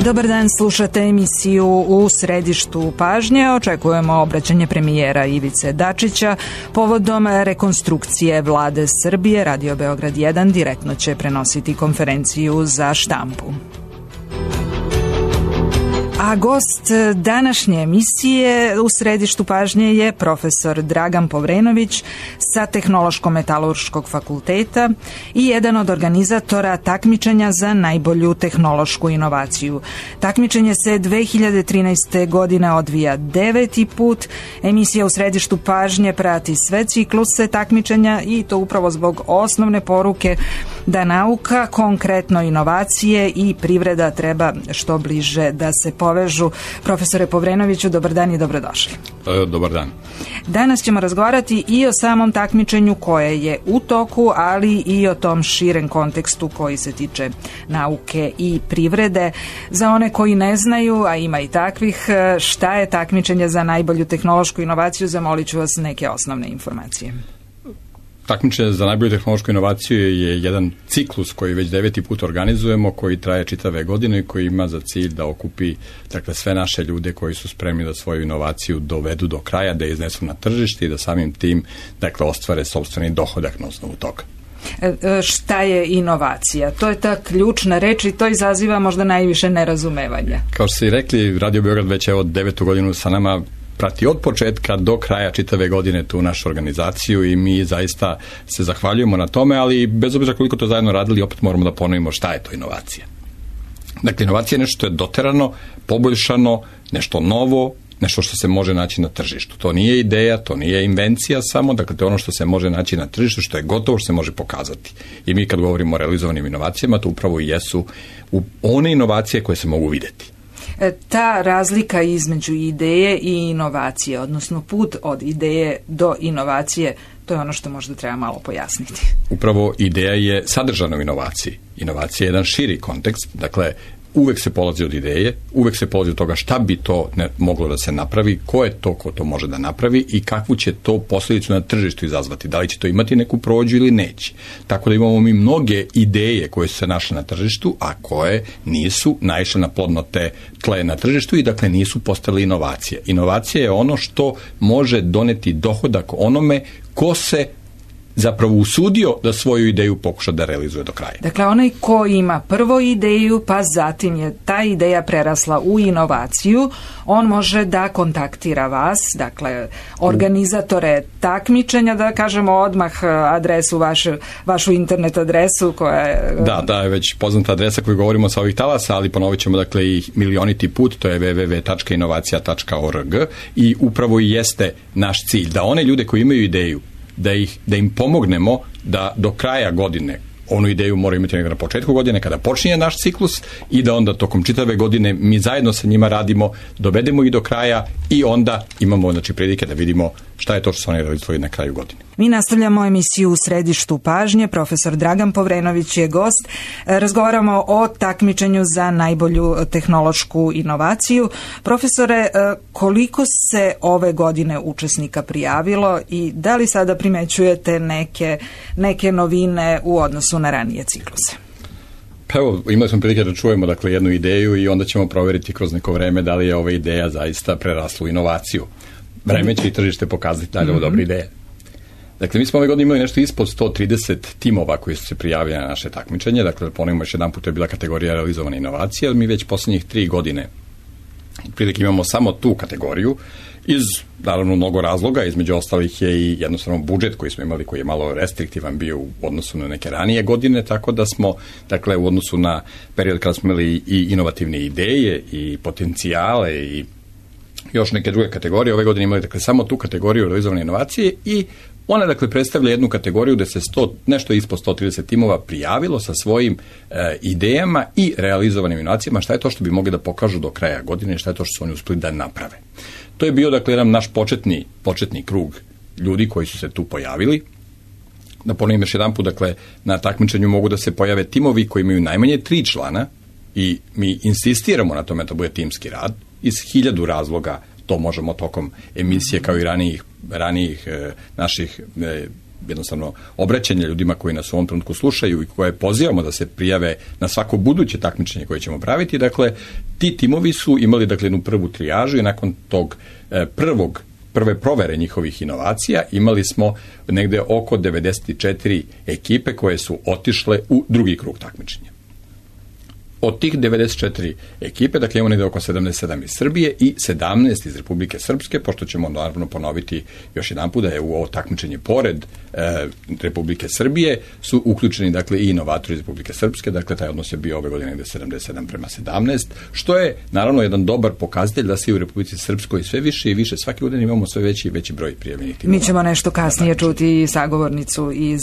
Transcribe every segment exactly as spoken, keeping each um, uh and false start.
Dobar dan, slušate emisiju U središtu pažnje. Očekujemo obraćanje premijera Ivice Dačića povodom rekonstrukcije vlade Srbije. Radio Beograd jedan direktno će prenositi konferenciju za štampu. A gost današnje emisije U središtu pažnje je profesor Dragan Povrenović sa Tehnološko-metalurškog fakulteta i jedan od organizatora takmičenja za najbolju tehnološku inovaciju. Takmičenje se dve hiljade trinaeste. godine odvija deveti put. Emisija U središtu pažnje prati sve cikluse takmičenja i to upravo zbog osnovne poruke da nauka, konkretno inovacije i privreda treba što bliže da se povežu. Profesore Povrenoviću, dobar dan i dobrodošli. E, dobar dan. Danas ćemo razgovarati i o samom takmičenju koje je u toku, ali i o tom širem kontekstu koji se tiče nauke i privrede. Za one koji ne znaju, a ima i takvih, šta je takmičenje za najbolju tehnološku inovaciju, zamolit ću vas neke osnovne informacije. Takmičenje za najbolju tehnološku inovaciju je jedan ciklus koji već deveti put organizujemo, koji traje čitave godine i koji ima za cilj da okupi dakle, sve naše ljude koji su spremni da svoju inovaciju dovedu do kraja, da je iznesu na tržište i da samim tim dakle, ostvare sopstveni dohodak na osnovu toga. E, šta je inovacija? To je ta ključna reč i to izaziva možda najviše nerazumevanja. Kao što ste i rekli, Radio Beograd već evo devetu godinu sa nama prati od početka do kraja čitave godine tu našu organizaciju i mi zaista se zahvaljujemo na tome, ali bez obzira koliko to zajedno radili, opet moramo da ponovimo šta je to inovacija. Dakle, inovacija je nešto što je doterano, poboljšano, nešto novo, nešto što se može naći na tržištu. To nije ideja, to nije invencija samo, dakle to je ono što se može naći na tržištu, što je gotovo, što se može pokazati. I mi kad govorimo o realizovanim inovacijama, to upravo i jesu one inovacije koje se mogu vidjeti. Ta razlika između ideje i inovacije, odnosno put od ideje do inovacije, to je ono što možda treba malo pojasniti. Upravo ideja je sadržana u inovaciji. Inovacija je jedan širi kontekst, dakle uvek se polazi od ideje, uvek se polazi od toga šta bi to ne, moglo da se napravi, ko je to ko to može da napravi i kakvu će to posljedicu na tržištu izazvati. Da li će to imati neku prođu ili neće. Tako da imamo mi mnoge ideje koje su se našle na tržištu, a koje nisu naišle na plodno te tle na tržištu i dakle nisu postale inovacije. Inovacija je ono što može doneti dohodak onome ko se zapravo usudio da svoju ideju pokuša da realizuje do kraja. Dakle, onaj ko ima prvo ideju, pa zatim je ta ideja prerasla u inovaciju, on može da kontaktira vas, dakle, organizatore takmičenja, da kažemo odmah adresu, vašu, vašu internet adresu koja je... Da, da, je već poznata adresa koju govorimo sa ovih talasa, ali ponovit ćemo dakle i milioniti put, to je w w w tačka inovacija tačka org i upravo i jeste naš cilj, da one ljude koji imaju ideju, Da, ih, da im pomognemo da do kraja godine, onu ideju moraju imati na početku godine kada počinje naš ciklus i da onda tokom čitave godine mi zajedno sa njima radimo, dovedemo ih do kraja i onda imamo znači, prilike da vidimo šta je to što su oni realizovali na kraju godine. Mi nastavljamo emisiju U središtu pažnje. Profesor Dragan Povrenović je gost. Razgovaramo o takmičenju za najbolju tehnološku inovaciju. Profesore, koliko se ove godine učesnika prijavilo i da li sada primećujete neke, neke novine u odnosu na ranije cikluse? Pa evo, imali smo prilike da čujemo dakle, jednu ideju i onda ćemo provjeriti kroz neko vreme da li je ova ideja zaista prerasla u inovaciju. Vreme će i tržište pokazati da li je ovo dobra ideja. Dakle, mi smo ove godine imali nešto ispod sto trideset timova koji su se prijavili na naše takmičenje. Dakle, ponovimo još jedan put, to je bila kategorija realizovane inovacije, ali mi već posljednjih tri godine prilike imamo samo tu kategoriju iz, naravno, mnogo razloga. Između ostalih je i jednostavno budžet koji smo imali, koji je malo restriktivan bio u odnosu na neke ranije godine, tako da smo, dakle, u odnosu na period kada smo imali i inovativne ideje i potencijale i još neke druge kategorije, ove godine imali dakle samo tu kategoriju realizovane inovacije i ona dakle predstavlja jednu kategoriju gde se sto, nešto ispod sto trideset timova prijavilo sa svojim e, idejama i realizovanim inovacijama, šta je to što bi mogli da pokažu do kraja godine, šta je to što su oni uspeli da naprave. To je bio dakle jedan naš početni, početni krug ljudi koji su se tu pojavili. Da ponovim još jedan put, dakle na takmičenju mogu da se pojave timovi koji imaju najmanje tri člana i mi insistiramo na tome da bude timski rad. Iz hiljadu razloga to možemo tokom emisije kao i ranijih, ranijih e, naših e, jednostavno obraćanje ljudima koji nas u ovom trenutku slušaju i koje pozivamo da se prijave na svako buduće takmičenje koje ćemo praviti. Dakle, ti timovi su imali dakle jednu prvu trijažu i nakon tog e, prvog prve provere njihovih inovacija imali smo negde oko devedeset četiri ekipe koje su otišle u drugi krug takmičenja. Od tih devedeset četiri ekipe, dakle imamo negde oko sedamdeset sedam iz Srbije i sedamnaest iz Republike Srpske, pošto ćemo naravno ponoviti još jedan put da je u ovo takmičenje pored e, Republike Srbije su uključeni dakle i inovatori iz Republike Srpske, dakle taj odnos je bio ove godine negde sedamdeset sedam prema sedamnaest, što je naravno jedan dobar pokazatelj da se i u Republici Srpskoj sve više i više svake godine imamo sve veći i veći broj prijavljenih timova. Mi ćemo nešto kasnije čuti sagovornicu iz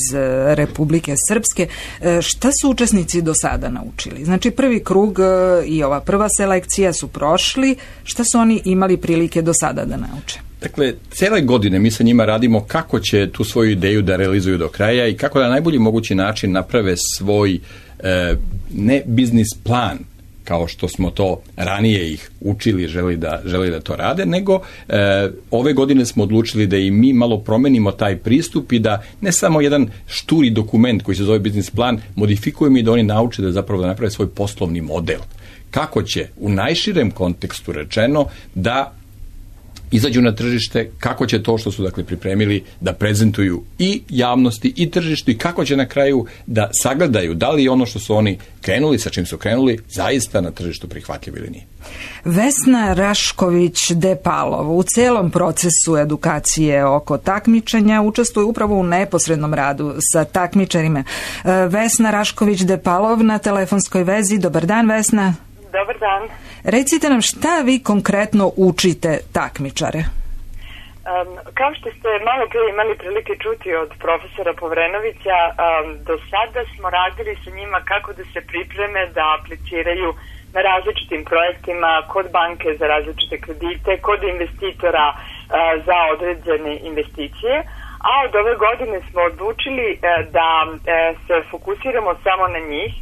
Republike Srpske. E, šta su učesnici do sada naučili? Znači prvi Prvi krug i ova prva selekcija su prošli. Šta su oni imali prilike do sada da nauče? Dakle, cijele godine mi sa njima radimo kako će tu svoju ideju da realizuju do kraja i kako da na najbolji mogući način naprave svoj e, ne biznis plan, kao što smo to ranije ih učili, želi da, želi da to rade, nego e, ove godine smo odlučili da i mi malo promenimo taj pristup i da ne samo jedan šturi dokument koji se zove biznis plan modifikujemo i da oni nauče da zapravo da naprave svoj poslovni model. Kako će u najširem kontekstu rečeno da izađu na tržište, kako će to što su dakle pripremili da prezentuju i javnosti i tržištu i kako će na kraju da sagledaju da li ono što su oni krenuli, sa čim su krenuli, zaista na tržištu prihvatljivo ili nije. Vesna Rašković-Depalov u celom procesu edukacije oko takmičenja učestvuje upravo u neposrednom radu sa takmičarima. Vesna Rašković-Depalov na telefonskoj vezi. Dobar dan, Vesna. Dobar dan. Recite nam šta vi konkretno učite takmičare? Um, kao što ste malo prije imali prilike čuti od profesora Povrenovića, um, do sada smo radili sa njima kako da se pripreme da apliciraju na različitim projektima, kod banke za različite kredite, kod investitora uh, za određene investicije, a od ove godine smo odlučili uh, da uh, se fokusiramo samo na njih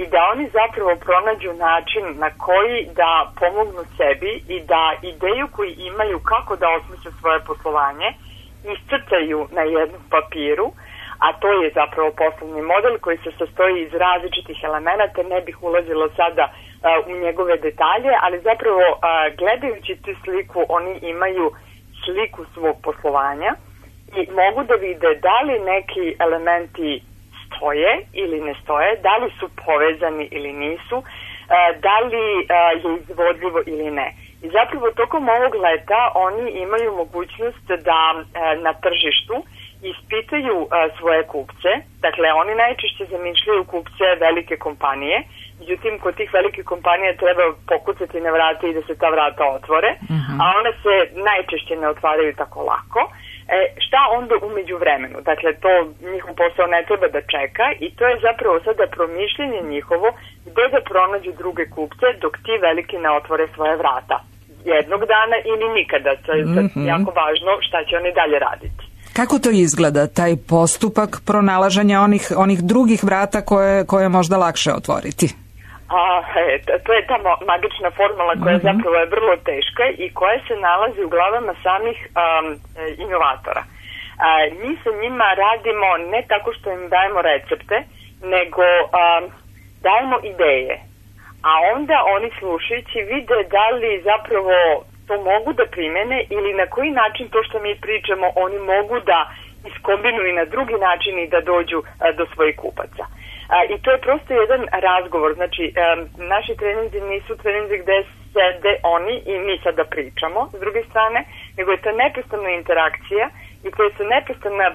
i da oni zapravo pronađu način na koji da pomognu sebi i da ideju koju imaju kako da osmisle svoje poslovanje iscrtaju na jednom papiru, a to je zapravo poslovni model koji se sastoji iz različitih elemenata. Ne bih ulazila sada uh, u njegove detalje, ali zapravo uh, gledajući tu sliku oni imaju sliku svog poslovanja i mogu da vide da li neki elementi stoje ili ne stoje, da li su povezani ili nisu, da li je izvodljivo ili ne. I zapravo tokom ovog leta oni imaju mogućnost da na tržištu ispitaju svoje kupce. Dakle, oni najčešće zamišljaju kupce velike kompanije, međutim kod tih velike kompanije treba pokucati na vrata i da se ta vrata otvore, uh-huh. a one se najčešće ne otvaraju tako lako. E, šta onda umeđu vremenu? Dakle, to njihov posao ne treba da čeka i to je zapravo sada promišljenje njihovo gde da pronađu druge kupce dok ti veliki ne otvore svoje vrata. Jednog dana ili nikada. To je mm-hmm. jako važno šta će oni dalje raditi. Kako to izgleda, taj postupak pronalaženja onih, onih drugih vrata koje, koje je možda lakše otvoriti? A, e, to je ta magična formula koja mm-hmm. zapravo je vrlo teška i koja se nalazi u glavama samih um, inovatora. A, mi sa njima radimo ne tako što im dajemo recepte, nego um, dajemo ideje. A onda oni slušajući vide da li zapravo to mogu da primene ili na koji način to što mi pričamo oni mogu da iskombinuju na drugi način i da dođu a, do svojih kupaca. A, I to je prosto jedan razgovor. Znači, a, naši treninzi nisu treninzi gde sede oni i mi sada pričamo s druge strane, nego je to neprestana interakcija i to je to neprestana,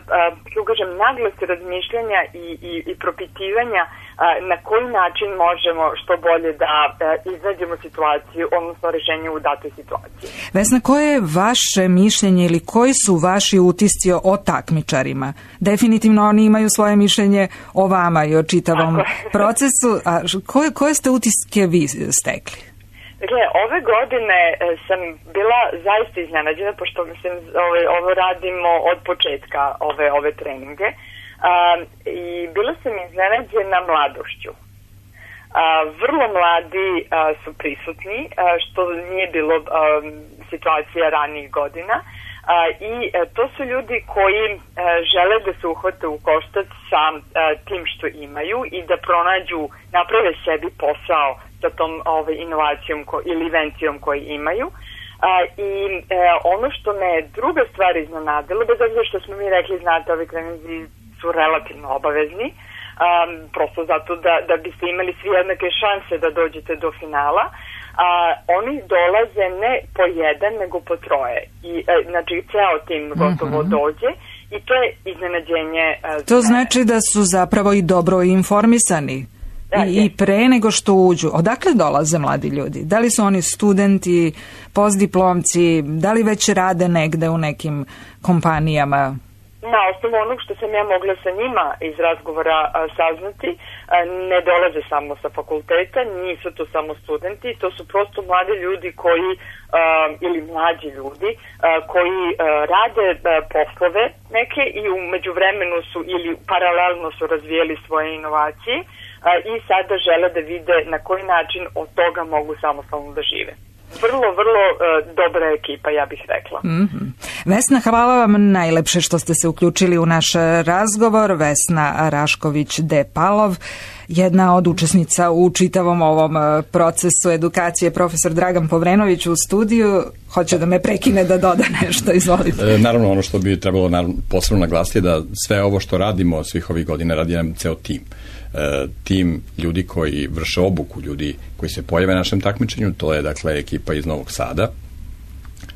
kako kažem, naglas razmišljanja i, i, i propitivanja a, na koji način možemo što bolje da a, iznađemo situaciju, odnosno rešenje u datoj situaciji. Vesna, koje je vaše mišljenje ili koji su vaši utisci o takmičarima? Definitivno oni imaju svoje mišljenje o vama i o čitavom procesu. A koje, koje ste utiske vi stekli? Dakle, ove godine sam bila zaista iznenađena, pošto mislim ove, ovo radimo od početka ove, ove treninge, a, i bila sam iznenađena mladošću. A, vrlo mladi a, su prisutni, a, što nije bilo a, situacija ranijih godina. A, I to su ljudi koji žele da se uhvate u koštac sa tim što imaju i da pronađu, naprave sebi posao sa tom ovaj, inovacijom ko, ili invencijom koju imaju. I ono što me druga stvar iznenadila, bez obzira što smo mi rekli, znate, ove treninzi su relativno obavezni, Um, prosto zato da, da biste imali svi jednake šanse da dođete do finala. A, oni dolaze ne po jedan, nego po troje. I, e, znači, ceo tim gotovo uh-huh. dođe i to je iznenađenje. E, to znači da su zapravo i dobro informisani. Da, I, I pre nego što uđu. Odakle dolaze mladi ljudi? Da li su oni studenti, postdiplomci, da li već rade negde u nekim kompanijama? Na osnovu onog što sam ja mogla sa njima iz razgovora a, saznati, a, ne dolaze samo sa fakulteta, nisu to samo studenti, to su prosto mladi ljudi koji, a, ili mlađi ljudi, a, koji a, rade a, poslove neke i u međuvremenu su ili paralelno su razvijeli svoje inovacije a, i sada žele da vide na koji način od toga mogu samostalno da žive. Vrlo, vrlo uh, dobra ekipa, ja bih rekla. Mm-hmm. Vesna, hvala vam najlepše što ste se uključili u naš razgovor. Vesna Rašković-Depalov, jedna od učesnica u čitavom ovom procesu edukacije, profesor Dragan Povrenović u studiju. Hoće da me prekine da doda nešto, izvolite. E, naravno, ono što bi trebalo naravno, posebno naglasiti je da sve ovo što radimo svih ovih godina radi nam ceo tim. E, tim ljudi koji vrše obuku, ljudi koji se pojave na našem takmičenju, to je dakle ekipa iz Novog Sada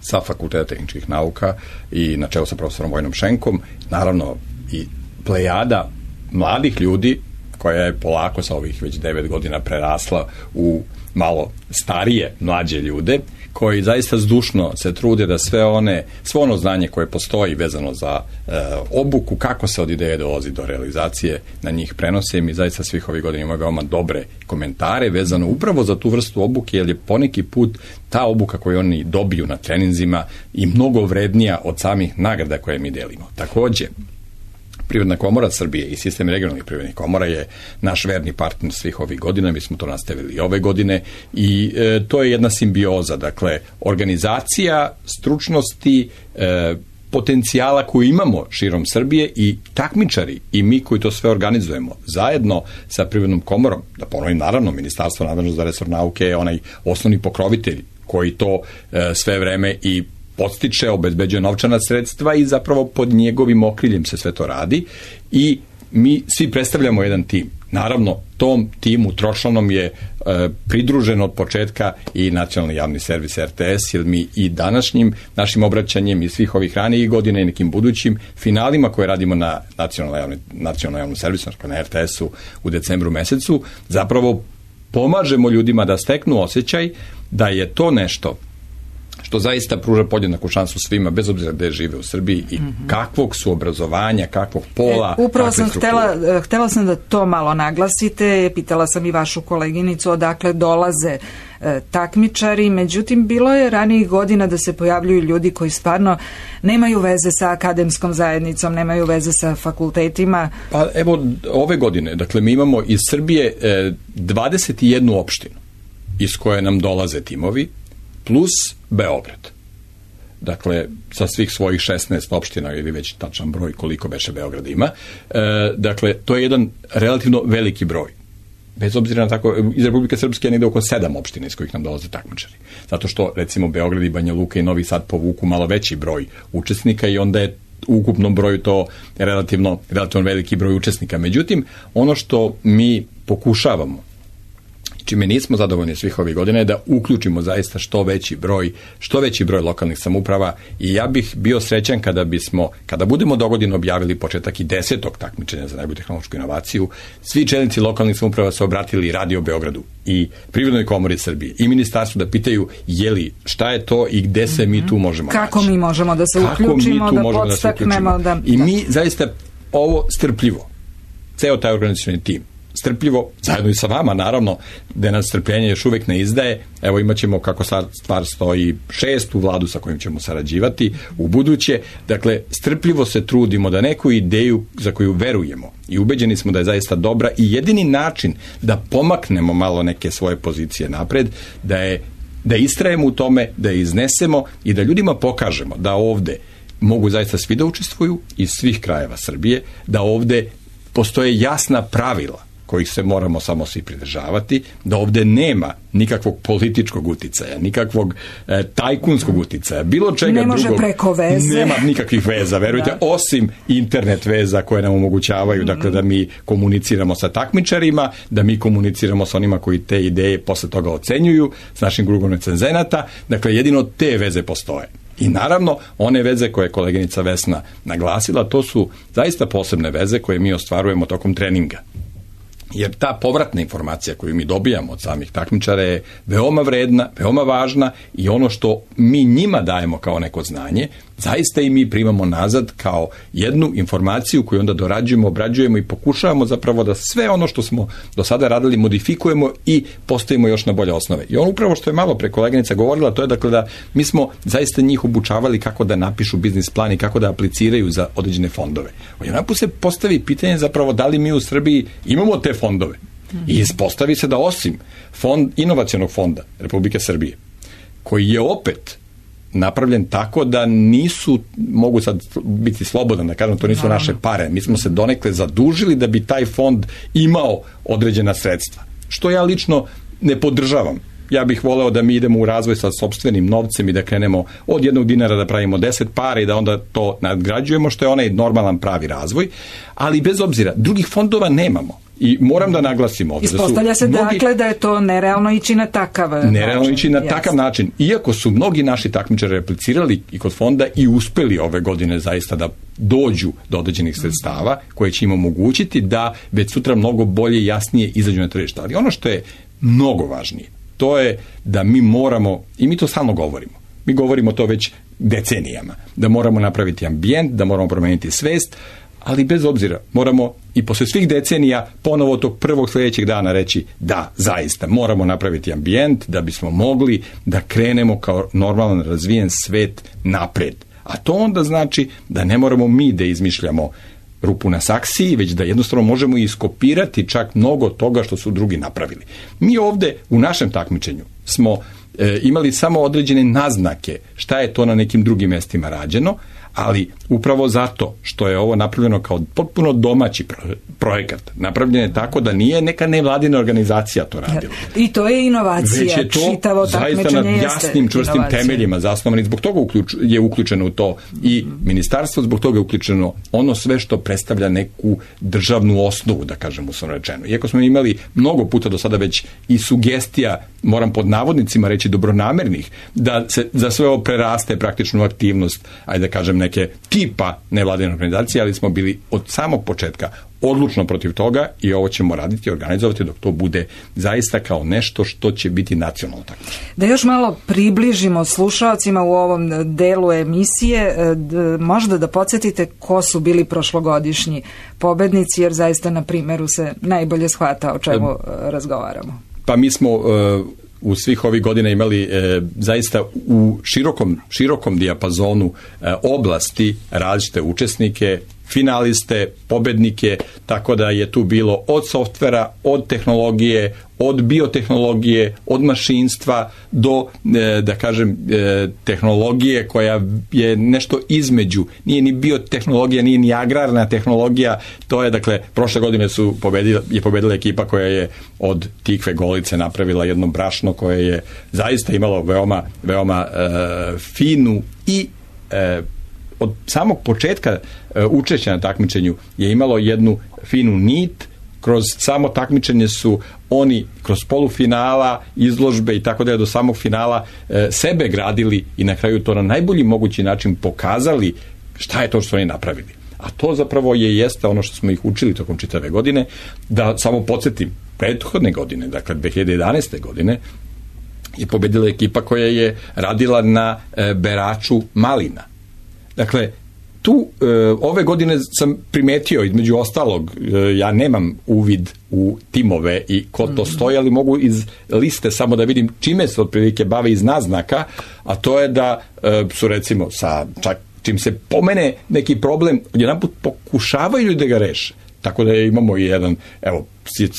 sa Fakulteta tehničkih nauka i na čelu sa profesorom Vojnom Šenkom, naravno i plejada mladih ljudi koja je polako sa ovih već devet godina prerasla u malo starije, mlađe ljude, koji zaista zdušno se trude da sve one, svo ono znanje koje postoji vezano za e, obuku, kako se od ideje dolazi do realizacije, na njih prenose. I mi zaista svih ovih godina imamo veoma dobre komentare vezano upravo za tu vrstu obuke, jer je poneki put ta obuka koju oni dobiju na treninzima i mnogo vrednija od samih nagrada koje mi delimo. Takođe, Privredna komora Srbije i sistem regionalnih privrednih komora je naš verni partner svih ovih godina, mi smo to nastavili i ove godine i e, to je jedna simbioza, dakle, organizacija, stručnosti, e, potencijala koju imamo širom Srbije i takmičari i mi koji to sve organizujemo zajedno sa Privrednom komorom, da ponovim, naravno, Ministarstvo nadležno za resor nauke je onaj osnovni pokrovitelj koji to e, sve vreme i podstiče, obezbeđuje novčana sredstva i zapravo pod njegovim okriljem se sve to radi i mi svi predstavljamo jedan tim. Naravno, tom timu tročlanom je e, pridružen od početka i nacionalni javni servis R T S, jer mi i današnjim našim obraćanjem i svih ovih ranijih godina i nekim budućim finalima koje radimo na nacionalnom nacionalno javnom servisu, na R T S-u u decembru mesecu, zapravo pomažemo ljudima da steknu osjećaj da je to nešto što zaista pruža podjednaku šansu svima, bez obzira gde žive u Srbiji i mm-hmm. kakvog su obrazovanja, kakvog pola, e, upravo sam htela, htela sam da to malo naglasite, pitala sam i vašu koleginicu odakle dolaze e, takmičari, međutim bilo je ranijih godina da se pojavljuju ljudi koji stvarno nemaju veze sa akademskom zajednicom, nemaju veze sa fakultetima. Pa evo ove godine, dakle mi imamo iz Srbije e, dvadeset jednu opštinu iz koje nam dolaze timovi, plus Beograd. Dakle, sa svih svojih šesnaest opština ili već tačan broj koliko beše Beograd ima. E, dakle, to je jedan relativno veliki broj. Bez obzira na tako, iz Republike Srpske je negde oko sedam opština iz kojih nam dolaze takmičari. Zato što, recimo, Beograd i Banja Luka i Novi Sad povuku malo veći broj učesnika i onda je u ukupnom broju to relativno, relativno veliki broj učesnika. Međutim, ono što mi pokušavamo, čime nismo zadovoljni svih ovih godina, je da uključimo zaista što veći broj, što veći broj lokalnih samouprava i ja bih bio srećan kada bismo, kada budemo dogodine objavili početak i desetog takmičenja za najbolju tehnološku inovaciju, svi čelnici lokalnih samouprava se obratili Radio Beogradu i Privrednoj komori Srbije i ministarstvu da pitaju je li, šta je to i gde se mi tu možemo Kako naći. mi možemo da se uključimo, da podstaknemo. Da, I mi zaista ovo strpljivo, ceo taj organizacioni tim, strpljivo, zajedno i sa vama, naravno, da nas strpljenje još uvek ne izdaje. Evo imat ćemo, kako sad stvar stoji, šestu vladu sa kojim ćemo sarađivati u buduće. Dakle, strpljivo se trudimo da neku ideju za koju verujemo i ubeđeni smo da je zaista dobra i jedini način da pomaknemo malo neke svoje pozicije napred, da je da istrajemo u tome, da je iznesemo i da ljudima pokažemo da ovde mogu zaista svi da učestvuju iz svih krajeva Srbije, da ovde postoje jasna pravila kojih se moramo samo svi pridržavati, da ovde nema nikakvog političkog uticaja, nikakvog e, tajkunskog uticaja, bilo čega ne može drugog. Preko veze. Nema nikakvih veza, verujte, osim internet veza koje nam omogućavaju, mm. dakle, da mi komuniciramo sa takmičarima, da mi komuniciramo sa onima koji te ideje posle toga ocenjuju, s našim krugom recenzenata, dakle, jedino te veze postoje. I naravno, one veze koje je koleginica Vesna naglasila, to su zaista posebne veze koje mi ostvarujemo tokom treninga. Jer ta povratna informacija koju mi dobijamo od samih takmičara je veoma vredna, veoma važna i ono što mi njima dajemo kao neko znanje, zaista i mi primamo nazad kao jednu informaciju koju onda dorađujemo, obrađujemo i pokušavamo zapravo da sve ono što smo do sada radili modifikujemo i postavimo još na bolje osnove. I ono upravo što je malo pre koleginica govorila, to je dakle da mi smo zaista njih obučavali kako da napišu biznis plan i kako da apliciraju za određene fondove. Odjedanput se postavi pitanje zapravo da li mi u Srbiji imamo te fondove. I ispostavi se da osim fond, inovacionog fonda Republike Srbije, koji je opet napravljen tako da nisu, mogu sad biti slobodan da kažem, to nisu no. naše pare, mi smo se donekle zadužili da bi taj fond imao određena sredstva, što ja lično ne podržavam. Ja bih voleo da mi idemo u razvoj sa sopstvenim novcem i da krenemo od jednog dinara da pravimo deset para i da onda to nadgrađujemo, što je onaj normalan pravi razvoj, ali bez obzira, drugih fondova nemamo. I moram da naglasim ovdje. Ispostavlja se mnogi, dakle da je to nerealno ići na takav način. Nerealno ići na takav način. Iako su mnogi naši takmičari replicirali i kod fonda i uspeli ove godine zaista da dođu do određenih sredstava koje će im omogućiti da već sutra mnogo bolje i jasnije izađu na tržište. Ali ono što je mnogo važnije, to je da mi moramo, i mi to stalno govorimo, mi govorimo to već decenijama, da moramo napraviti ambijent, da moramo promeniti svest, ali bez obzira moramo i posle svih decenija ponovo tog prvog sljedećeg dana reći da, zaista, moramo napraviti ambijent da bismo mogli da krenemo kao normalan razvijen svet napred. A to onda znači da ne moramo mi da izmišljamo rupu na saksiji, već da jednostavno možemo iskopirati čak mnogo toga što su drugi napravili. Mi ovde u našem takmičenju smo e, imali samo određene naznake šta je to na nekim drugim mestima rađeno, ali upravo zato što je ovo napravljeno kao potpuno domaći projekat, napravljeno je tako da nije neka nevladina organizacija to radila. I to je inovacija. Već je to čitavo zaista na jasnim, čvrstim inovacija. Temeljima zasnovani. Zbog toga uključ, je uključeno u to i ministarstvo, zbog toga je uključeno ono sve što predstavlja neku državnu osnovu, da kažem uslovno rečeno. Iako smo imali mnogo puta do sada već i sugestija, moram pod navodnicima reći dobronamernih, da se za sve ovo preraste praktičnu aktivnost, ajde da kažem neke tipa nevladine organizacije, ali smo bili od samog početka odlučno protiv toga i ovo ćemo raditi i organizovati dok to bude zaista kao nešto što će biti nacionalno takmičenje. Da još malo približimo slušalcima u ovom delu emisije, možda da podsjetite ko su bili prošlogodišnji pobednici, jer zaista na primjeru se najbolje shvata o čemu razgovaramo. Pa mi smo uh, u svih ovih godina imali e, zaista u širokom, širokom dijapazonu e, oblasti različite učesnike, finaliste, pobednike, tako da je tu bilo od softvera, od tehnologije, od biotehnologije, od mašinstva do, e, da kažem, e, tehnologije koja je nešto između. Nije ni biotehnologija, nije ni agrarna tehnologija. To je, dakle, prošle godine su pobedila, je pobedila ekipa koja je od Tikve Golice napravila jedno brašno koje je zaista imalo veoma, veoma e, finu i e, od samog početka e, učešća na takmičenju je imalo jednu finu nit. Kroz samo takmičenje su oni kroz polufinala, izložbe i tako da je do samog finala e, sebe gradili i na kraju to na najbolji mogući način pokazali šta je to što su oni napravili. A to zapravo je jeste ono što smo ih učili tokom čitave godine. Da samo podsjetim, prethodne godine, dakle dve hiljade jedanaeste. godine, je pobedila ekipa koja je radila na e, beraču malina. Dakle, tu e, ove godine sam primetio, između ostalog, e, ja nemam uvid u timove i ko to stoji, ali mogu iz liste samo da vidim čime se otprilike bave iz naznaka, a to je da e, su recimo sa čak čim se pomene neki problem, jedanput pokušavaju da ga reše. Tako da imamo i jedan, evo,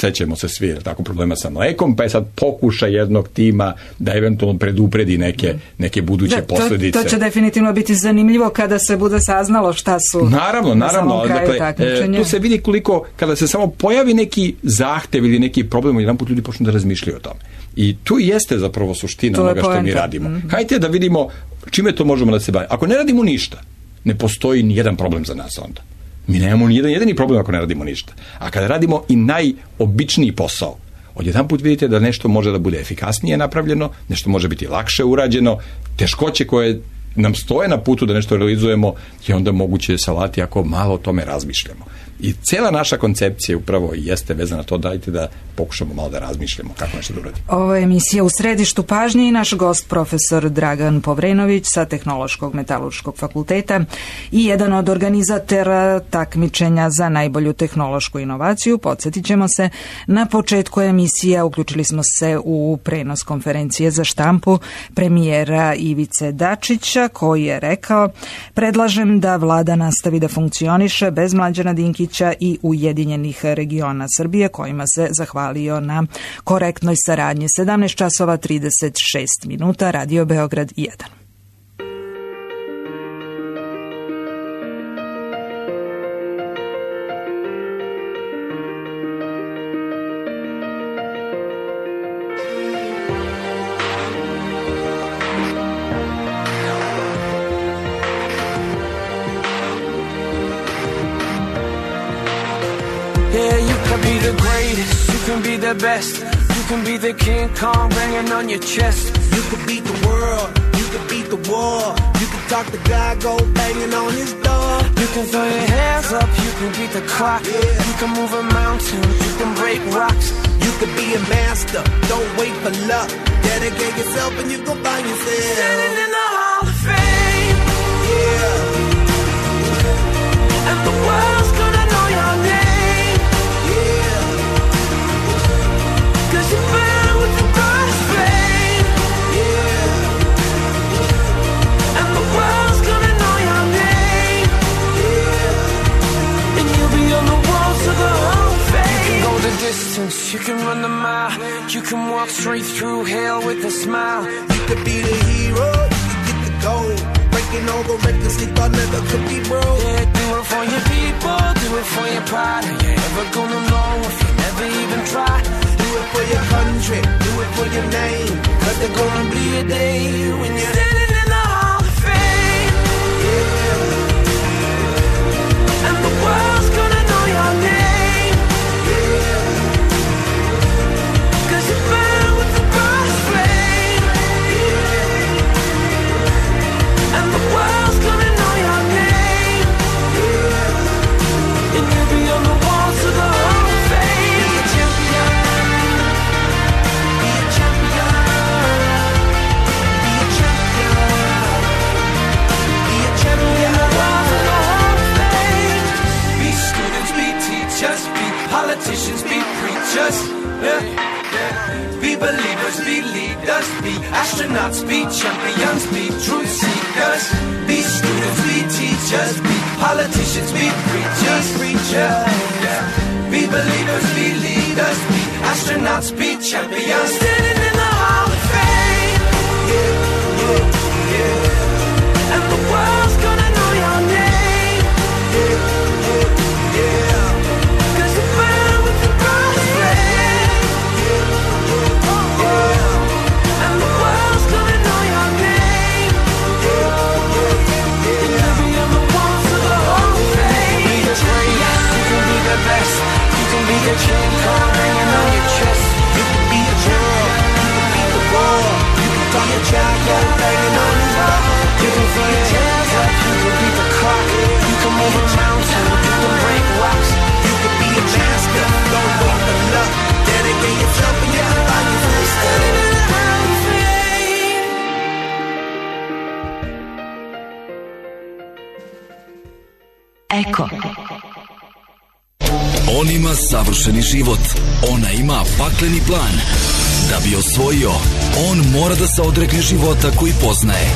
sećamo se svi tako problema sa mlekom, pa je sad pokušaj jednog tima da eventualno predupredi neke, neke buduće da, posledice. To, to će definitivno biti zanimljivo kada se bude saznalo šta su naravno, naravno, na samom kraju takmičenja. Tu se vidi koliko, kada se samo pojavi neki zahtev ili neki problem, jedan put ljudi počnu da razmišljaju o tome. I tu jeste zapravo suština onoga što mi radimo. Mm-hmm. Hajde da vidimo čime to možemo da se bavimo. Ako ne radimo ništa, ne postoji ni jedan problem za nas onda. Mi nemamo ni jedan jedini problem ako ne radimo ništa. A kada radimo i najobičniji posao, odjedan put vidite da nešto može da bude efikasnije napravljeno, nešto može biti lakše urađeno, teškoće koje nam stoje na putu da nešto realizujemo je onda moguće salati ako malo o tome razmišljamo. I cela naša koncepcija upravo jeste vezana na to, dajte da pokušamo malo da razmišljamo kako nešto da uradimo. Ovo je emisija U središtu pažnje i naš gost profesor Dragan Povrenović sa Tehnološkog metalurškog fakulteta i jedan od organizatora takmičenja za najbolju tehnološku inovaciju. Podsjetit ćemo se, na početku emisija uključili smo se u prenos konferencije za štampu premijera Ivice Dačića, koji je rekao: predlažem da vlada nastavi da funkcioniše bez Mlađana Dinkića i Ujedinjenih regiona Srbije, kojima se zahvalio na korektnoj saradnji. sedamnaest časova trideset šest minuta, Radio Beograd jedan. The best. You can be the King Kong banging on your chest. You can beat the world, you can beat the war. You can talk the guy, go banging on his door. You can throw your hands up, you can beat the clock. Yeah. You can move a mountain, you can break rocks. You can be a master, don't wait for luck. Dedicate yourself and you can find yourself standing in the Hall of Fame. Yeah. And the world's gonna know your name. You burn with the brightest flame, yeah. And the world's gonna know your name, yeah. And you'll be on the walls of the Hall of Fame. You can go the distance, you can run the mile. You can walk straight through hell with a smile. You could be the hero, you can get the gold. Breaking all the records they thought never could be broke. Yeah, do it for your people, do it for your pride. Are you ever gonna know if you never even try? Do it for your country, do it for your name. Cause there's gonna be a day when you're standing in the Hall of Fame, yeah. And the world's gonna know your name, yeah. Cause you burn with the brightest flame, yeah. And the world's gonna know your name, yeah. And you'll be on the walls of the Hall of Fame. Be a champion. Politicians be preachers, yeah, yeah. Be believers, be leaders, be astronauts, be champions, be truth seekers. Be students, be teachers, be politicians, be preachers, preachers, yeah. Be believers, be leaders, be astronauts, be champions. Standing in the Hall of Fame, yeah, yeah, yeah. And the world's gonna know your name, yeah, yeah, yeah. Be the King Kong hanging on your chest. You can be a girl, you can beat the war. You can talk your child, go banging on his door. You can throw your hands up, you can beat the clock. You can move a mountain, you can break rocks. You can be a master, don't wait for luck. Dedicate yourself and you can find yourself standing in the Hall of Fame. Eko. On ima savršeni život, ona ima pakleni plan. Da bi osvojio, on mora da se odrekne života koji poznaje.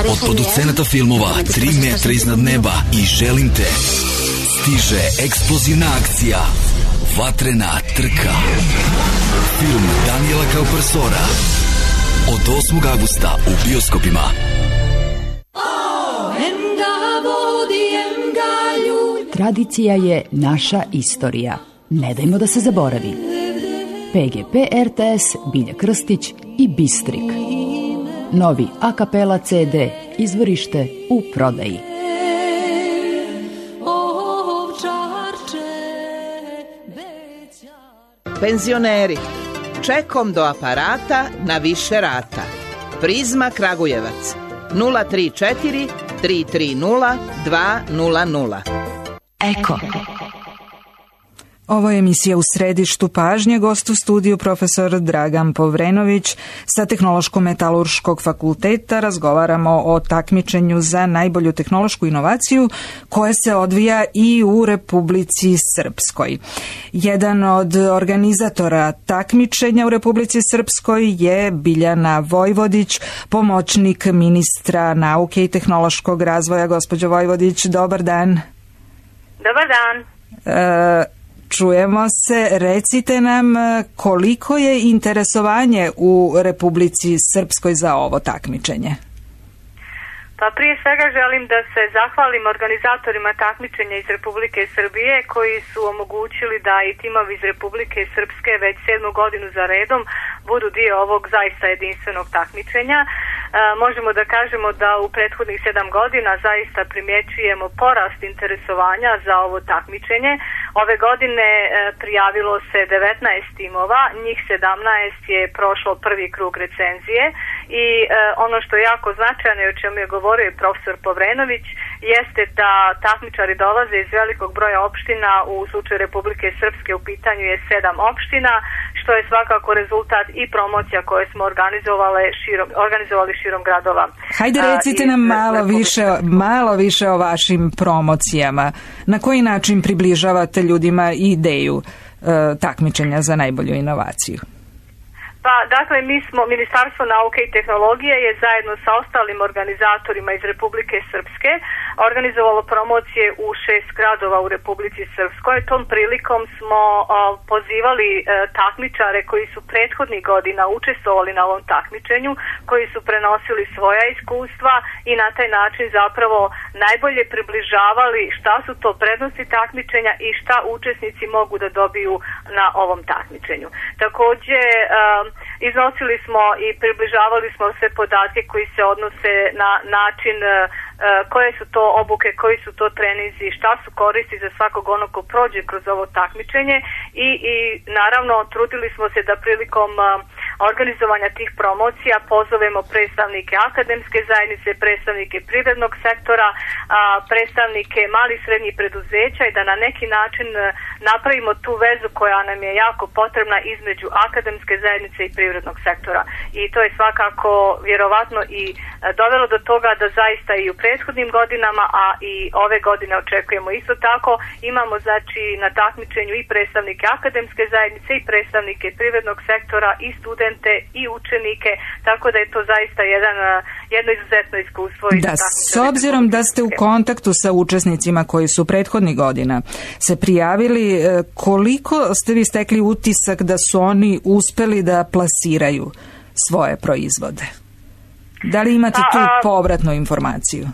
Od producenata filmova Tri metra iznad neba i Želim te, Stiže eksplozivna akcija, vatrena trka. Film Daniela Kaupersora od osmog avgusta u bioskopima. Tradicija je naša istorija. Ne dajmo da se zaboravi. P G P R T S, Bilja Krstić i Bistrik. Novi a kapela C D, izvorište u prodaji. Penzioneri, čekom do aparata na više rata. Prizma Kragujevac, nula tri četiri tri tri nula dva nula nula. Eko. Ovo je emisija U središtu pažnje, gost u studiju profesor Dragan Povrenović sa Tehnološko-metalurškog fakulteta. Razgovaramo o takmičenju za najbolju tehnološku inovaciju koje se odvija i u Republici Srpskoj. Jedan od organizatora takmičenja u Republici Srpskoj je Biljana Vojvodić, pomoćnik ministra nauke i tehnološkog razvoja. Gospođo Vojvodić, dobar dan. Dobar dan. E, Čujemo se, recite nam koliko je interesovanje u Republici Srpskoj za ovo takmičenje? Pa prije svega želim da se zahvalim organizatorima takmičenja iz Republike Srbije koji su omogućili da i timovi iz Republike Srpske već sedmu godinu za redom budu dio ovog zaista jedinstvenog takmičenja. E, možemo da kažemo da u prethodnih sedam godina zaista primjećujemo porast interesovanja za ovo takmičenje. Ove godine e, prijavilo se devetnaest timova, njih sedamnaest je prošlo prvi krug recenzije i e, ono što je jako značajno i o čemu je govorio i profesor Povrenović jeste da takmičari dolaze iz velikog broja opština. U slučaju Republike Srpske u pitanju je sedam opština, što je svakako rezultat i promocija koje smo organizovali širom, organizovali širom gradova. Hajde recite nam malo više, malo više o vašim promocijama. Na koji način približavate ljudima ideju e, takmičenja za najbolju inovaciju? Pa, dakle, mi smo, Ministarstvo nauke i tehnologije je zajedno sa ostalim organizatorima iz Republike Srpske organizovalo promocije u šest gradova u Republici Srpskoj. Tom prilikom smo o, pozivali e, takmičare koji su prethodnih godina učestvovali na ovom takmičenju, koji su prenosili svoja iskustva i na taj način zapravo najbolje približavali šta su to prednosti takmičenja i šta učesnici mogu da dobiju na ovom takmičenju. Takođe, e, iznosili smo i približavali smo sve podatke koji se odnose na način koje su to obuke, koji su to trenizi, šta su koristi za svakog onog ko prođe kroz ovo takmičenje i, i naravno trudili smo se da prilikom organizovanja tih promocija pozovemo predstavnike akademske zajednice, predstavnike privrednog sektora, predstavnike malih i srednjih preduzeća i da na neki način napravimo tu vezu koja nam je jako potrebna između akademske zajednice i privrednog sektora. I to je svakako vjerovatno i dovelo do toga da zaista i u prethodnim godinama, a i ove godine očekujemo isto tako, imamo znači na takmičenju i predstavnike akademske zajednice i predstavnike privrednog sektora i studente i učenike, tako da je to zaista jedan, jedno izuzetno iskustvo. Da, s obzirom da ste u kontaktu sa učesnicima koji su prethodnih godina se prijavili, koliko ste vi stekli utisak da su oni uspeli da plasiraju svoje proizvode? Da li imate tu povratnu informaciju?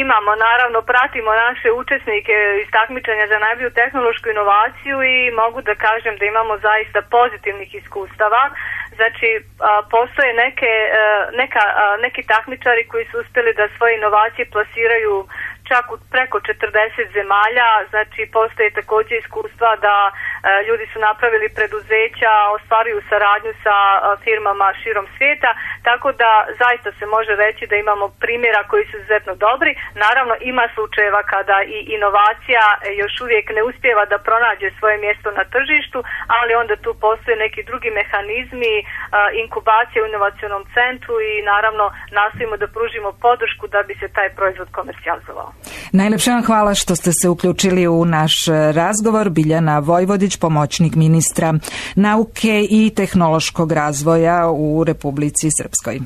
Imamo, naravno, pratimo naše učesnike iz takmičenja za najbolju tehnološku inovaciju i mogu da kažem da imamo zaista pozitivnih iskustava. Znači, postoje neke, neka, neki takmičari koji su uspjeli da svoje inovacije plasiraju čak u preko četrdeset zemalja, znači postoje također iskustva da e, ljudi su napravili preduzeća, ostvaruju saradnju sa e, firmama širom svijeta, tako da zaista se može reći da imamo primjera koji su izuzetno dobri. Naravno ima slučajeva kada i inovacija još uvijek ne uspijeva da pronađe svoje mjesto na tržištu, ali onda tu postoje neki drugi mehanizmi, e, inkubacije u inovacionom centru i naravno nastojimo da pružimo podršku da bi se taj proizvod komercijalizovao. Najlepše vam hvala što ste se uključili u naš razgovor. Biljana Vojvodić, pomoćnik ministra nauke i tehnološkog razvoja u Republici Srpskoj.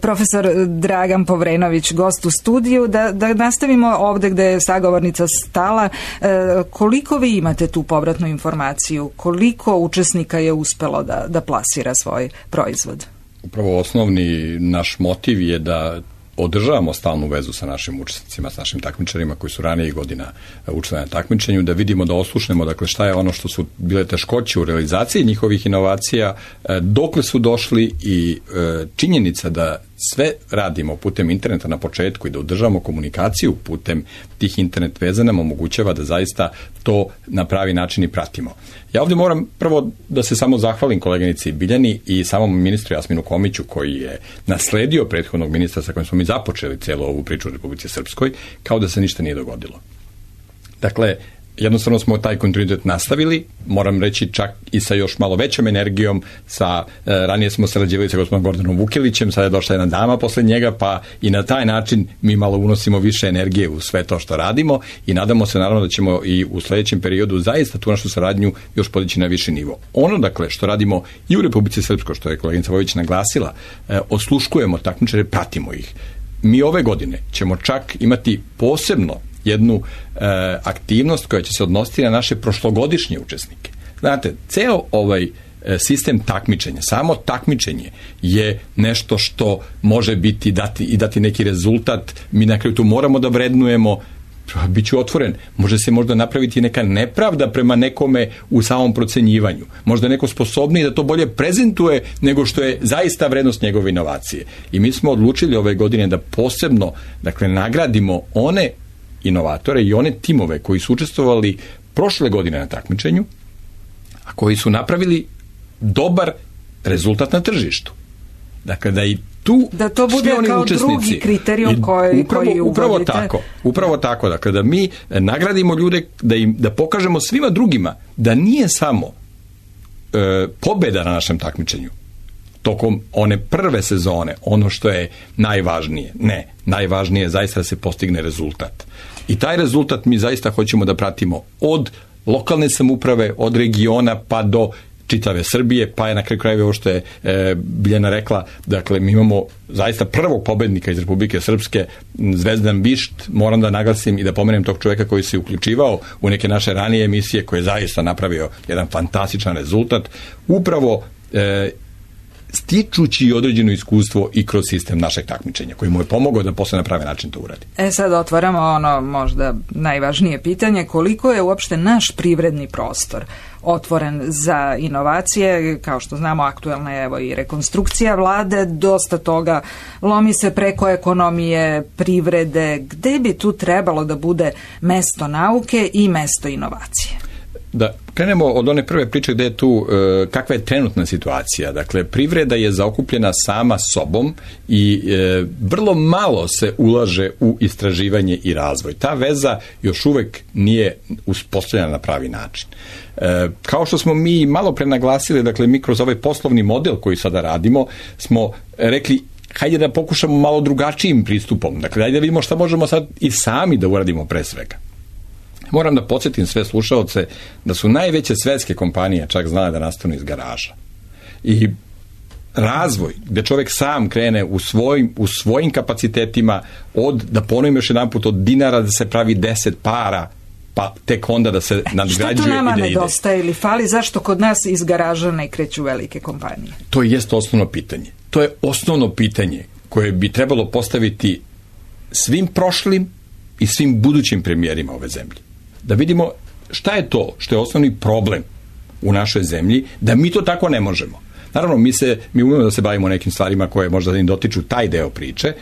Profesor Dragan Povrenović, gost u studiju, da, da nastavimo ovde gde je sagovornica stala. E, koliko vi imate tu povratnu informaciju? Koliko učesnika je uspelo da, da plasira svoj proizvod? Upravo osnovni naš motiv je da održavamo stalnu vezu sa našim učesnicima, sa našim takmičarima koji su ranijih godina učili na takmičenju, da vidimo, da oslušnemo dakle šta je ono što su bile teškoće u realizaciji njihovih inovacija, dokle su došli i činjenica da sve radimo putem interneta na početku i da održavamo komunikaciju putem tih internet veza nam omogućava da zaista to na pravi način i pratimo. Ja ovdje moram prvo da se samo zahvalim koleginici Biljani i samom ministru Jasminu Komiću koji je nasledio prethodnog ministra sa kojim smo mi započeli celu ovu priču u Republici Srpskoj, kao da se ništa nije dogodilo. Dakle, jednostavno smo taj kontinuitet nastavili, moram reći čak i sa još malo većom energijom, sa, e, ranije smo sarađivali sa gospodinom Gordanom Vukilićem, sada je došla jedna dama posle njega, pa i na taj način mi malo unosimo više energije u sve to što radimo i nadamo se naravno da ćemo i u sledećem periodu zaista tu našu saradnju još podići na viši nivo. Ono dakle što radimo i u Republici Srpskoj, što je koleginica Vojić naglasila, e, osluškujemo takmičare, pratimo ih. Mi ove godine ćemo čak imati posebno jednu e, aktivnost koja će se odnositi na naše prošlogodišnje učesnike. Znate, ceo ovaj e, sistem takmičenja, samo takmičenje je nešto što može biti dati, i dati neki rezultat. Mi na kraju tu moramo da vrednujemo, biću otvoren, može se možda napraviti neka nepravda prema nekome u samom procenjivanju. Možda neko sposobniji da to bolje prezentuje nego što je zaista vrednost njegove inovacije. I mi smo odlučili ove godine da posebno, dakle, nagradimo one inovatore i one timove koji su učestvovali prošle godine na takmičenju, a koji su napravili dobar rezultat na tržištu. Dakle, da i tu da to bude kao učesnici, drugi kriterijum koji, upravo, koji upravo uvodite. tako, upravo tako, dakle, da mi nagradimo ljude, da im da pokažemo svima drugima da nije samo e, pobeda na našem takmičenju tokom one prve sezone ono što je najvažnije. Ne, najvažnije je zaista da se postigne rezultat. I taj rezultat mi zaista hoćemo da pratimo od lokalne samouprave, od regiona pa do čitave Srbije, pa je na kraju krajeva ovo što je e, Biljana rekla, dakle mi imamo zaista prvog pobednika iz Republike Srpske, Zvezdan Višt, moram da naglasim i da pomenem tog čoveka koji se uključivao u neke naše ranije emisije, koji je zaista napravio jedan fantastičan rezultat, upravo e, stičući određeno iskustvo i kroz sistem našeg takmičenja, koji mu je pomogao da posle na pravi način to uradi. E sad otvaramo ono možda najvažnije pitanje, koliko je uopšte naš privredni prostor otvoren za inovacije. Kao što znamo, aktuelna je evo i rekonstrukcija vlade, dosta toga lomi se preko ekonomije, privrede. Gde bi tu trebalo da bude mesto nauke i mesto inovacije? Da krenemo od one prve priče gde je tu, e, kakva je trenutna situacija. Dakle, privreda je zaokupljena sama sobom i e, vrlo malo se ulaže u istraživanje i razvoj. Ta veza još uvek nije uspostavljena na pravi način. E, kao što smo mi malo pre naglasili, dakle, mi kroz ovaj poslovni model koji sada radimo, smo rekli hajde da pokušamo malo drugačijim pristupom. Dakle, hajde da vidimo šta možemo sad i sami da uradimo pre svega. Moram da podsjetim sve slušaoce da su najveće svetske kompanije čak znale da nastanu iz garaža. I razvoj, gde čovjek sam krene u svojim, u svojim kapacitetima, od, da ponovim još jedan put, od dinara da se pravi deset para, pa tek onda da se nadgrađuje i da ide. Što tu nama nedostaje ili fali? Zašto kod nas iz garaža ne kreću velike kompanije? To jest osnovno pitanje. To je osnovno pitanje koje bi trebalo postaviti svim prošlim i svim budućim premijerima ove zemlje. Da vidimo šta je to što je osnovni problem u našoj zemlji, da mi to tako ne možemo. Naravno, mi se mi umemo da se bavimo nekim stvarima koje možda ne dotiču taj deo priče,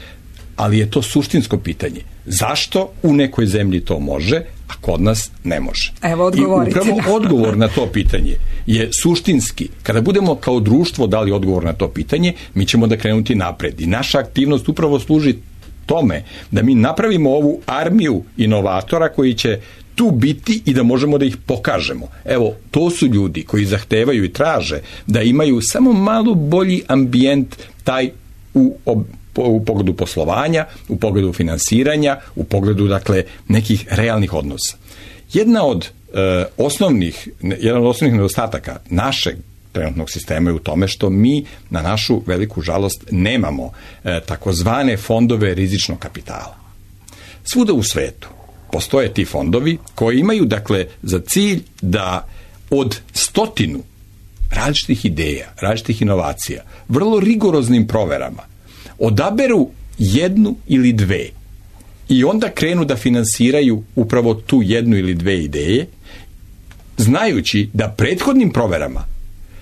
ali je to suštinsko pitanje. Zašto u nekoj zemlji to može, a kod nas ne može? Evo, odgovorite. I upravo odgovor na to pitanje je suštinski. Kada budemo kao društvo dali odgovor na to pitanje, mi ćemo da krenuti napred. I naša aktivnost upravo služi tome da mi napravimo ovu armiju inovatora koji će tu biti i da možemo da ih pokažemo. Evo, to su ljudi koji zahtevaju i traže da imaju samo malo bolji ambijent taj u, u pogledu poslovanja, u pogledu finansiranja, u pogledu, dakle, nekih realnih odnosa. Jedna od e, osnovnih, jedan od osnovnih nedostataka našeg trenutnog sistema je u tome što mi na našu veliku žalost nemamo e, takozvane fondove rizičnog kapitala. Svuda u svetu postoje ti fondovi koji imaju dakle za cilj da od stotinu različitih ideja, različitih inovacija, vrlo rigoroznim proverama odaberu jednu ili dve i onda krenu da finansiraju upravo tu jednu ili dve ideje, znajući da prethodnim proverama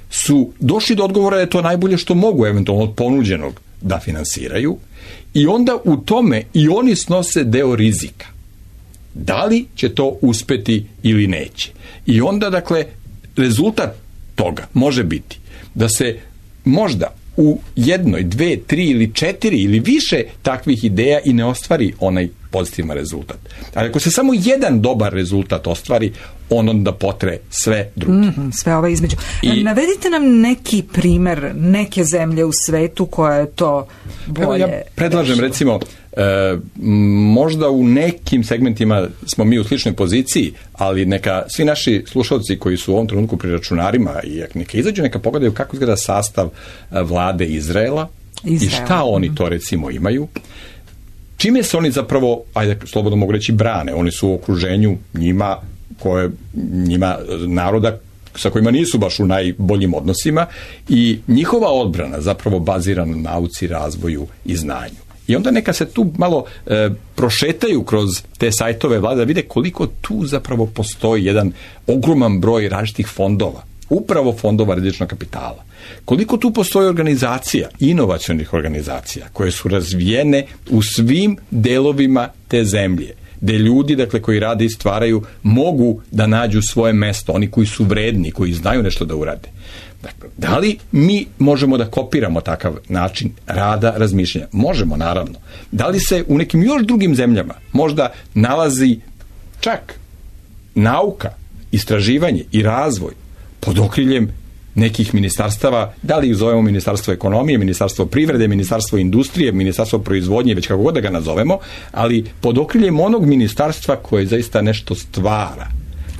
su došli do odgovora da je to najbolje što mogu eventualno od ponuđenog da finansiraju i onda u tome i oni snose deo rizika. Da li će to uspeti ili neće? I onda, dakle, rezultat toga može biti da se možda u jednoj, dve, tri ili četiri ili više takvih ideja i ne ostvari onaj pozitivan rezultat. Ali ako se samo jedan dobar rezultat ostvari, on onda potre sve druge. Mm-hmm, sve ove između. I, Navedite nam neki primer neke zemlje u svetu koja je to bolje. Ja predlažem rešila. recimo e, možda u nekim segmentima smo mi u sličnoj poziciji, ali neka svi naši slušalci koji su u ovom trenutku pri računarima i neka izađu, neka pogledaju kako izgleda sastav vlade Izraela, Izrael. i šta oni to recimo imaju. Čime se oni zapravo, ajde slobodno mogu reći, brane? Oni su u okruženju njima, koje, njima naroda sa kojima nisu baš u najboljim odnosima i njihova odbrana zapravo bazirana na nauci, razvoju i znanju. I onda neka se tu malo e, prošetaju kroz te sajtove vlade da vide koliko tu zapravo postoji jedan ogroman broj različitih fondova, upravo fondova rizičnog kapitala. Koliko tu postoji organizacija, inovacionih organizacija, koje su razvijene u svim delovima te zemlje, gde ljudi, dakle, koji rade i stvaraju, mogu da nađu svoje mesto, oni koji su vredni, koji znaju nešto da urade. Dakle, da li mi možemo da kopiramo takav način rada, razmišljanja? Možemo, naravno. Da li se u nekim još drugim zemljama možda nalazi čak nauka, istraživanje i razvoj pod okriljem nekih ministarstava, da li ih zovemo ministarstvo ekonomije, ministarstvo privrede, ministarstvo industrije, ministarstvo proizvodnje, već kako god da ga nazovemo, ali pod okriljem onog ministarstva koje zaista nešto stvara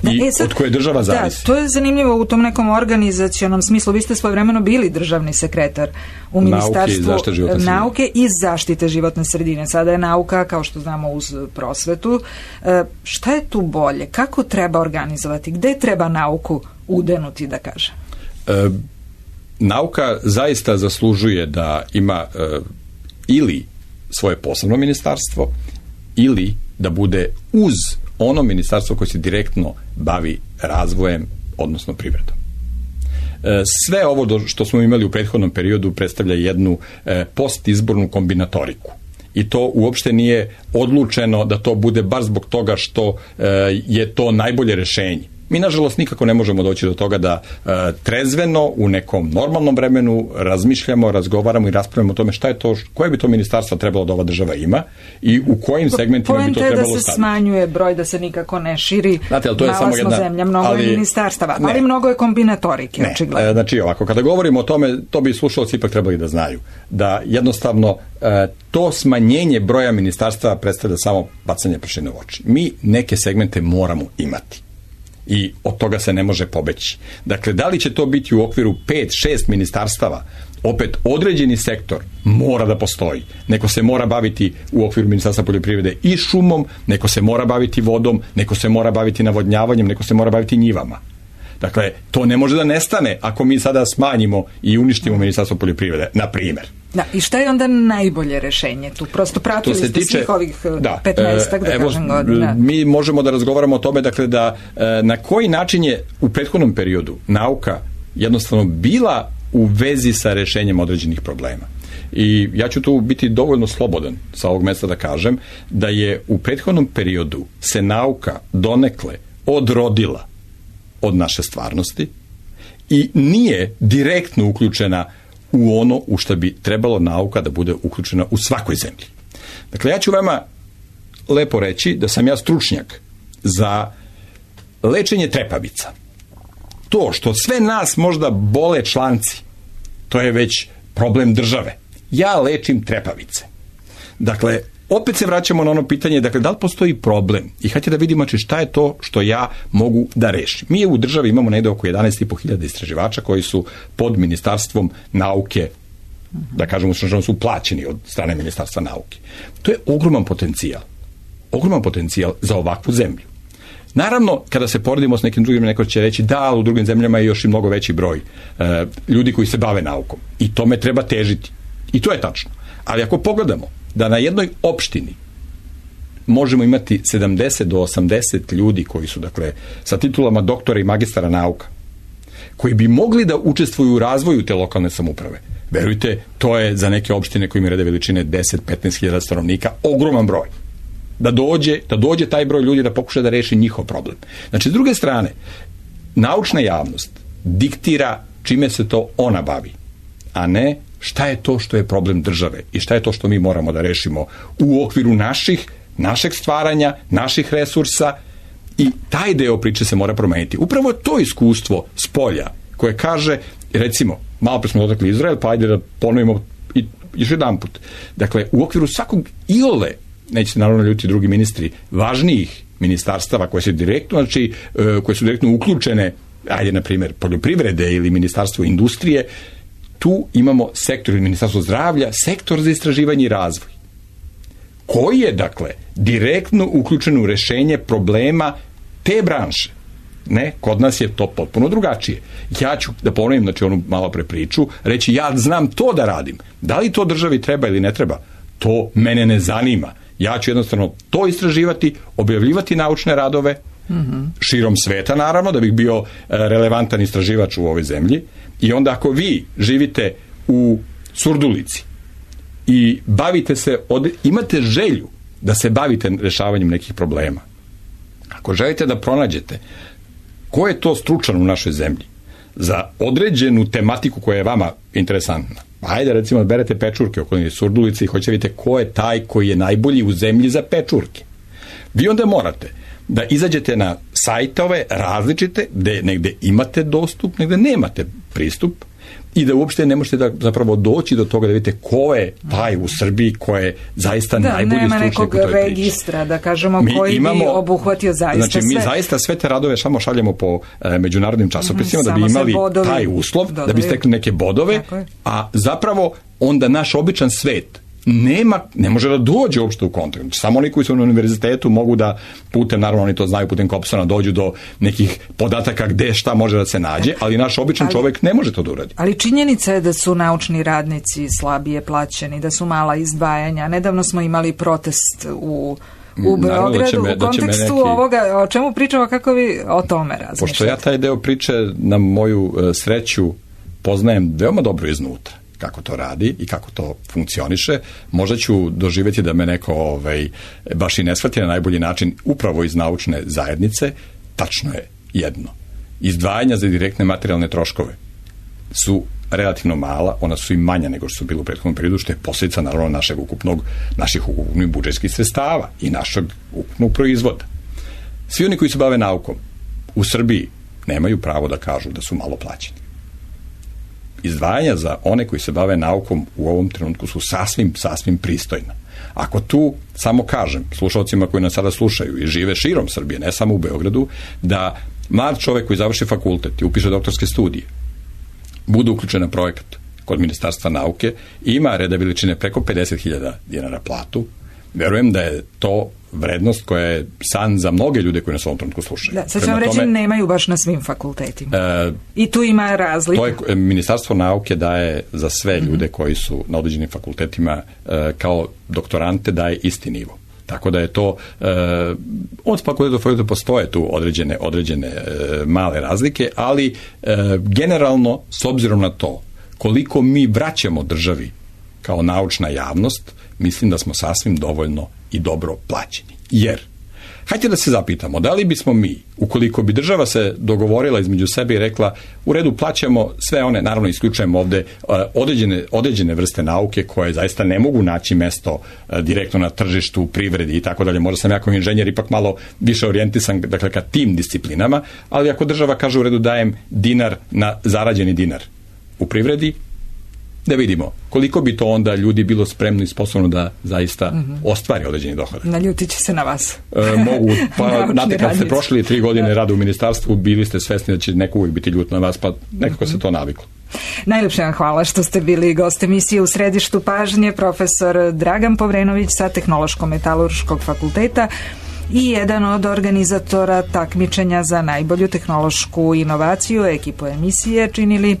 i e sad, od koje država zavisi. Da, to je zanimljivo u tom nekom organizacionom smislu. Vi ste svojevremeno bili državni sekretar u ministarstvu nauke i, nauke i zaštite životne sredine. Sada je nauka, kao što znamo, uz prosvetu. E, šta je tu bolje? Kako treba organizovati? Gde treba nauku udenuti, da kažem? E, nauka zaista zaslužuje da ima e, ili svoje posebno ministarstvo ili da bude uz ono ministarstvo koje se direktno bavi razvojem, odnosno privredom. E, sve ovo do, što smo imali u prethodnom periodu predstavlja jednu e, postizbornu kombinatoriku. I to uopšte nije odlučeno da to bude baš zbog toga što e, je to najbolje rešenje. Mi, nažalost, nikako ne možemo doći do toga da e, trezveno u nekom normalnom vremenu razmišljamo, razgovaramo i raspravljamo o tome šta je to, koje bi to ministarstva trebalo da ova država ima i u kojim segmentima bi to trebalo staviti. Poenta je da se smanjuje broj, da se nikako ne širi. Znate, ali to je samo jedna, zemlja, mnogo ali, je ministarstava, ne, ali mnogo je kombinatorike, ne, očigledno. Znači ovako, kada govorimo o tome, to bi slušalci ipak trebali da znaju, da jednostavno e, to smanjenje broja ministarstva predstavlja samo bacanje prašine u oči. Mi neke segmente moramo imati. I od toga se ne može pobeći. Dakle, da li će to biti u okviru pet, šest ministarstava, opet određeni sektor mora da postoji. Neko se mora baviti u okviru Ministarstva poljoprivrede i šumom, neko se mora baviti vodom, neko se mora baviti navodnjavanjem, neko se mora baviti njivama. Dakle, to ne može da nestane ako mi sada smanjimo i uništimo Ministarstvo poljoprivrede, na primjer. Da, i šta je onda najbolje rešenje tu? Prosto pratili ste tiče, svih ovih da, petnaestak, da evo, kažem, godina. Mi možemo da razgovaramo o tome, dakle, da na koji način je u prethodnom periodu nauka jednostavno bila u vezi sa rešenjem određenih problema. I ja ću tu biti dovoljno slobodan sa ovog mesta da kažem da je u prethodnom periodu se nauka donekle odrodila od naše stvarnosti i nije direktno uključena u ono u što bi trebalo nauka da bude uključena u svakoj zemlji. Dakle, ja ću vama lepo reći da sam ja stručnjak za lečenje trepavica. To što sve nas možda bole članci, to je već problem države. Ja lečim trepavice. Dakle, opet se vraćamo na ono pitanje, dakle, da li postoji problem? I hajde da vidimo znači, šta je to što ja mogu da rešim. Mi u državi imamo negde oko jedanaest i po hiljada istraživača koji su pod Ministarstvom nauke, da kažemo što su plaćeni od strane Ministarstva nauke. To je ogroman potencijal. Ogroman potencijal za ovakvu zemlju. Naravno, kada se poredimo s nekim drugim, neko će reći da, ali u drugim zemljama je još i mnogo veći broj e, ljudi koji se bave naukom. I tome treba težiti. I to je tačno. Ali ako pogledamo da na jednoj opštini možemo imati sedamdeset do osamdeset ljudi koji su, dakle, sa titulama doktora i magistara nauka, koji bi mogli da učestvuju u razvoju te lokalne samouprave. Verujte, to je za neke opštine koji imaju rede veličine deset do petnaest hiljada stanovnika ogroman broj. Da dođe, da dođe taj broj ljudi da pokuša da reši njihov problem. Znači, s druge strane, naučna javnost diktira čime se to ona bavi, a ne šta je to što je problem države i šta je to što mi moramo da rešimo u okviru naših, našeg stvaranja, naših resursa, i taj deo priče se mora promeniti. Upravo to iskustvo s polja koje kaže, recimo, malo pre smo dotakli Izrael, pa ajde da ponovimo i još jedan put. Dakle, u okviru svakog iole, neće se naravno ljuti drugi ministri, važnijih ministarstava koje su direktno, znači, koje su direktno uključene, ajde, na primjer, poljoprivrede ili ministarstvo industrije, tu imamo sektor ili ministarstvo zdravlja, sektor za istraživanje i razvoj, koji je, dakle, direktno uključen u rešenje problema te branše. Ne, kod nas je to potpuno drugačije. Ja ću da ponovim, znači, onu malo pre priču, reći ja znam to da radim. Da li to državi treba ili ne treba? To mene ne zanima. Ja ću jednostavno to istraživati, objavljivati naučne radove, mm-hmm. širom sveta, naravno, da bih bio relevantan istraživač u ovoj zemlji. I onda ako vi živite u Surdulici i bavite se, od, imate želju da se bavite rešavanjem nekih problema, ako želite da pronađete ko je to stručan u našoj zemlji za određenu tematiku koja je vama interesantna, ajde, recimo, berete pečurke okolini Surdulice i hoćete vidjeti ko je taj koji je najbolji u zemlji za pečurke. Vi onda morate da izađete na sajtove različite, gde negde imate dostup, negde nemate pristup, i da uopšte ne možete da zapravo doći do toga da vidite ko je taj u Srbiji, ko je zaista da, najbolji stručnjak u toj priči. Da, nema nekog registra, da kažemo, mi koji imamo, bi obuhvatio zaista znači, sve. Znači, mi zaista sve te radove samo šaljemo po e, međunarodnim časopisima, mm, da bi imali taj uslov, dodaju, da bi stekli neke bodove, a zapravo onda naš običan svet nema, ne može da dođe uopšte u kontakt. Znači, samo oni koji su na univerzitetu mogu da putem, naravno oni to znaju, putem Kopsona dođu do nekih podataka gde šta može da se nađe, ali naš običan ali, čovek ne može to da uradi. Ali činjenica je da su naučni radnici slabije plaćeni, da su mala izdvajanja. Nedavno smo imali protest u u Beogradu, me, u kontekstu neki... ovoga, o čemu pričamo, kako vi o tome razmišljate? Pošto ja taj deo priče na moju uh, sreću poznajem veoma dobro iznutra, kako to radi i kako to funkcioniše, možda ću doživjeti da me neko ovaj, baš i ne shvati na najbolji način upravo iz naučne zajednice. Tačno je jedno. Izdvajanja za direktne materijalne troškove su relativno mala, ona su i manja nego što su bili u prethodnom periodu, što je posljedica naravno našeg ukupnog, naših ukupnih budžetskih sredstava i našeg ukupnog proizvoda. Svi oni koji se bave naukom u Srbiji nemaju pravo da kažu da su malo plaćeni. Izdvajanja za one koji se bave naukom u ovom trenutku su sasvim, sasvim pristojna. Ako tu samo kažem slušalcima koji nas sada slušaju i žive širom Srbije, ne samo u Beogradu, da mlad čovek koji završi fakultet i upiše doktorske studije, bude uključen na projekat kod Ministarstva nauke i ima reda veličine preko pedeset hiljada dinara platu, verujem da je to vrednost koja je san za mnoge ljude koji nas u ovom trenutku slušaju. Da, sad ću vam reći, tome, nemaju baš na svim fakultetima. E, I tu ima razlika. To je, Ministarstvo nauke daje za sve ljude mm-hmm. koji su na određenim fakultetima e, kao doktorante daje isti nivo. Tako da je to, e, od fakulteta do fakulteta postoje tu određene, određene e, male razlike, ali e, generalno, s obzirom na to koliko mi vraćamo državi kao naučna javnost, mislim da smo sasvim dovoljno i dobro plaćeni. Jer, hajde da se zapitamo, da li bismo mi, ukoliko bi država se dogovorila između sebe i rekla, u redu plaćamo sve one, naravno isključujemo ovde određene, određene vrste nauke koje zaista ne mogu naći mesto direktno na tržištu, privredi i tako dalje. Možda sam ja kao inženjer ipak malo više orijentisan, dakle, ka tim disciplinama, ali ako država kaže u redu dajem dinar na zarađeni dinar u privredi, da vidimo koliko bi to onda ljudi bilo spremno i sposobno da zaista mm-hmm. ostvari određeni dohodak. Naljutit će se na vas. E, mogu, pa znate, kad ste prošli tri godine rada u ministarstvu, bili ste svesni da će neko uvijek biti ljut na vas, pa nekako mm-hmm. se to naviklo. Najlepše vam hvala što ste bili gost emisije U središtu pažnje, profesor Dragan Povrenović sa Tehnološko-metalurškog fakulteta i jedan od organizatora takmičenja za najbolju tehnološku inovaciju. Ekipu emisije činili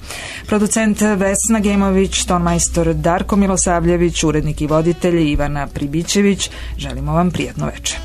producent Vesna Gemović, tonmajstor Darko Milosavljević, urednik i voditelj Ivana Pribićević. Želimo vam prijatno večer.